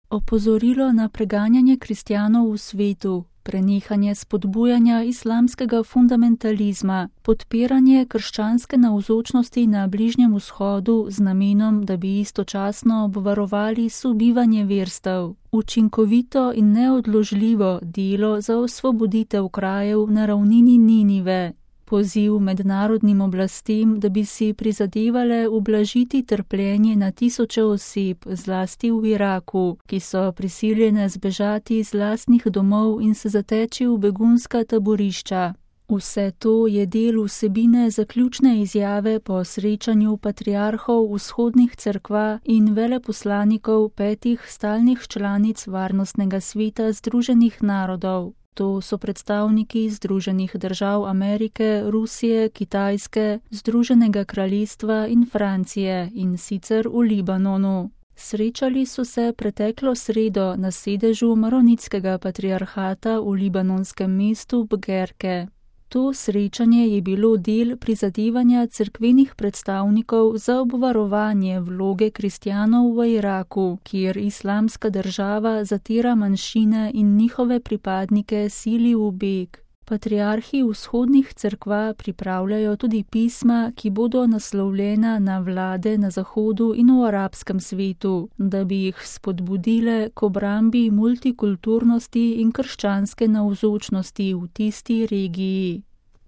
Opozorilo na preganjanje kristjanov v svetu, prenehanje spodbujanja islamskega fundamentalizma, podpiranje krščanske navzočnosti na Bližnjem vzhodu z namenom, da bi istočasno obvarovali sobivanje verstev, učinkovito in neodložljivo delo za osvoboditev krajev na ravnini Ninive, poziv mednarodnim oblastem, da bi si prizadevale ublažiti trpljenje na tisoče oseb, zlasti v Iraku, ki so prisiljene zbežati iz lastnih domov in se zateči v begunska taborišča. Vse to je del vsebine zaključne izjave po srečanju patriarhov vzhodnih cerkva in veleposlanikov 5 stalnih članic Varnostnega sveta Združenih narodov. To so predstavniki Združenih držav Amerike, Rusije, Kitajske, Združenega kraljestva in Francije, in sicer v Libanonu. Srečali so se preteklo sredo na sedežu Maronitskega patriarhata v libanonskem mestu Bgerke. To srečanje je bilo del prizadevanja cerkvenih predstavnikov za obvarovanje vloge kristjanov v Iraku, kjer Islamska država zatira manjšine in njihove pripadnike sili v beg. Patriarhi vzhodnih cerkva pripravljajo tudi pisma, ki bodo naslovljena na vlade na Zahodu in v arabskem svetu, da bi jih spodbudile k obrambi multikulturnosti in krščanske navzočnosti v tisti regiji.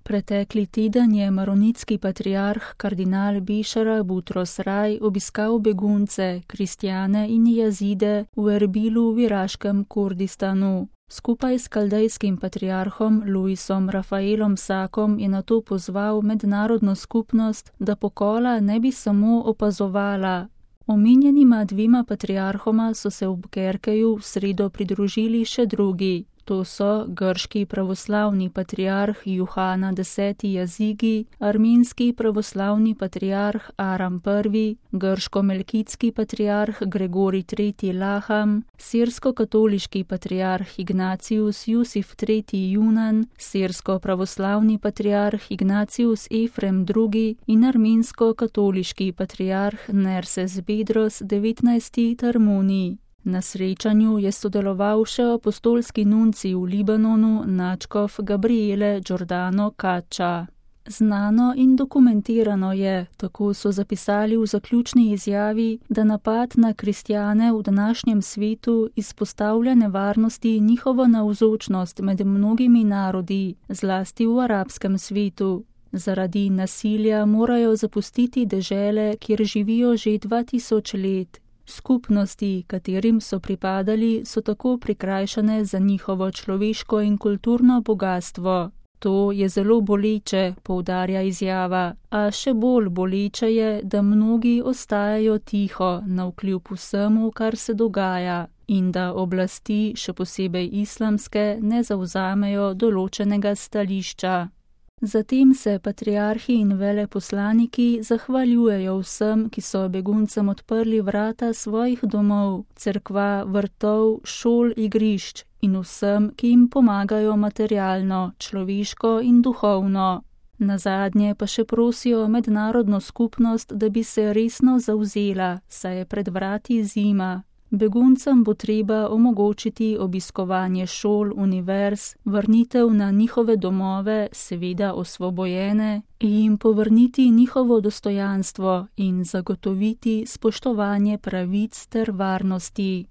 Pretekli teden je maronitski patriarh kardinal Bešara Butros Raj obiskal begunce, kristjane in jazide v Erbilu v iraškem Kurdistanu. Skupaj s kaldejskim patriarhom Luisom Rafaelom Sakom je nato pozval mednarodno skupnost, da pokola ne bi samo opazovala. Omenjenima 2 patriarhoma so se v Bgerkeju v sredo pridružili še drugi. To so grški pravoslavni patriarh Juhana X. Jazigi, armenski pravoslavni patriarh Aram I., grško-melkitski patriarh Gregorij III. Laham, sirsko-katoliški patriarh Ignatius Jusif III. Junan, sirsko-pravoslavni patriarh Ignatius Efrem II. In armensko-katoliški patriarh Nerses Bedros XIX. Tarmuni. Na srečanju je sodeloval še apostolski nuncij v Libanonu nadškof Gabriele Giordano Caccia. Znano in dokumentirano je, tako so zapisali v zaključni izjavi, da napad na kristjane v današnjem svetu izpostavlja nevarnosti njihovo navzočnost med mnogimi narodi, zlasti v arabskem svetu. Zaradi nasilja morajo zapustiti dežele, kjer živijo že 2000 let. Skupnosti, katerim so pripadali, so tako prikrajšane za njihovo človeško in kulturno bogastvo. To je zelo boleče, poudarja izjava, a še bolj boleče je, da mnogi ostajajo tiho navkljub vsemu, kar se dogaja, in da oblasti, še posebej islamske, ne zavzamejo določenega stališča. Zatem se patriarhi in veleposlaniki zahvaljujejo vsem, ki so beguncem odprli vrata svojih domov, cerkva, vrtov, šol, igrišč in vsem, ki jim pomagajo materialno, človeško in duhovno. Nazadnje pa še prosijo mednarodno skupnost, da bi se resno zavzela, saj je pred vrati zima. Beguncem bo treba omogočiti obiskovanje šol, univerz, vrnitev na njihove domove, seveda osvobojene, in jim povrniti njihovo dostojanstvo in zagotoviti spoštovanje pravic ter varnosti.